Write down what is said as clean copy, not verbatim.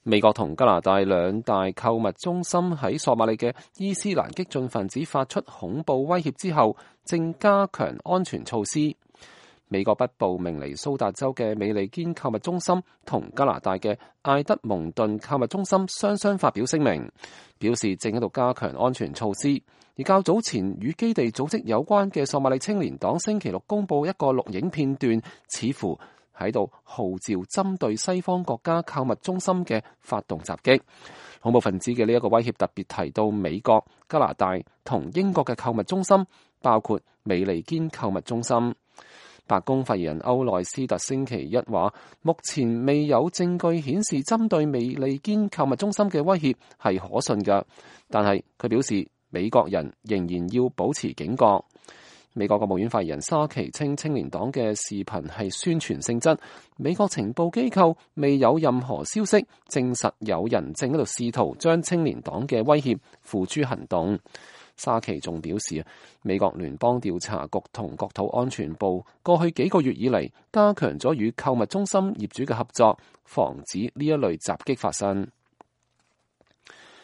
美國同加拿大兩大購物中心喺索馬里嘅伊斯蘭激進分子發出恐怖威脅之後，正加強安全措施。美國北部明尼蘇達州嘅美利堅購物中心同加拿大嘅艾德蒙頓購物中心雙雙發表聲明，表示正喺度加強安全措施。而較早前與基地組織有關嘅索馬里青年黨星期六公佈一個錄影片段，似乎喺度號召針對西方國家購物中心嘅發動襲擊。恐怖分子嘅呢一個威脅特別提到美國、加拿大同英國嘅購物中心，包括美利堅購物中心。白宮發言人歐內斯特星期一話，目前未有證據顯示針對美利堅購物中心嘅威脅係可信嘅，但係佢表示美國人仍然要保持警覺。美國國務院發言人沙奇稱，青年黨嘅視頻係宣傳性質，美國情報機構未有任何消息證實有人正喺度試圖將青年黨嘅威脅付諸行動。沙奇仲表示，美國聯邦調查局同國土安全部過去幾個月以嚟加強咗與購物中心業主嘅合作，防止呢一類襲擊發生。